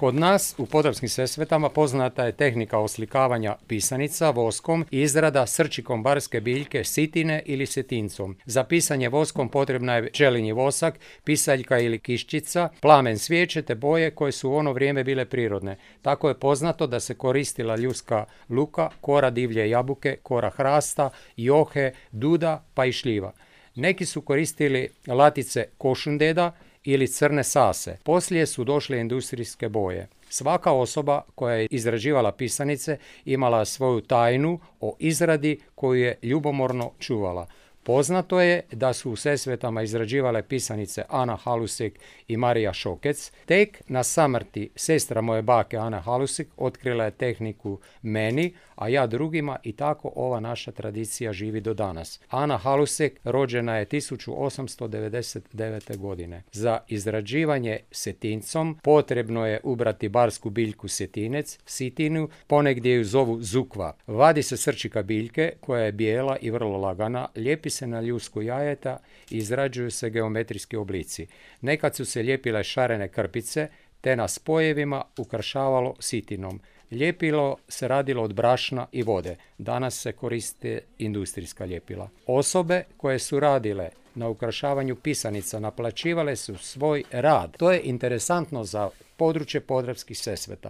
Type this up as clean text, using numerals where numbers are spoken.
Kod nas u Podravskim Sesvetama poznata je tehnika oslikavanja pisanica voskom i izrada srčikom barske biljke sitine ili setincom. Za pisanje voskom potrebna je pčelinji vosak, pisaljka ili kiščica, plamen svijeće te boje koje su u ono vrijeme bile prirodne. Tako je poznato da se koristila ljuska luka, kora divlje jabuke, kora hrasta, johe, duda pa i šljiva. Neki su koristili latice košundeda ili crne sase. Poslije su došle industrijske boje. Svaka osoba koja je izrađivala pisanice imala svoju tajnu o izradi koju je ljubomorno čuvala. Poznato je da su u Sesvetama izrađivale pisanice Ana Halusek i Marija Šokec. Tek na samrti sestra moje bake Ana Halusek otkrila je tehniku meni, a ja drugima, i tako ova naša tradicija živi do danas. Ana Halusek rođena je 1899. godine. Za izrađivanje setincom potrebno je ubrati barsku biljku setinec, sitinu, ponegdje ju zovu zukva. Vadi se srčika biljke koja je bijela i vrlo lagana, lijepi se na ljusku jajeta i izrađuju se geometrijski oblici. Nekad su se lijepile šarene krpice, te na spojevima ukrašavalo sitinom. Ljepilo se radilo od brašna i vode. Danas se koriste industrijska ljepila. Osobe koje su radile na ukrašavanju pisanica naplaćivale su svoj rad. To je interesantno za područje Podravskih Sesveta.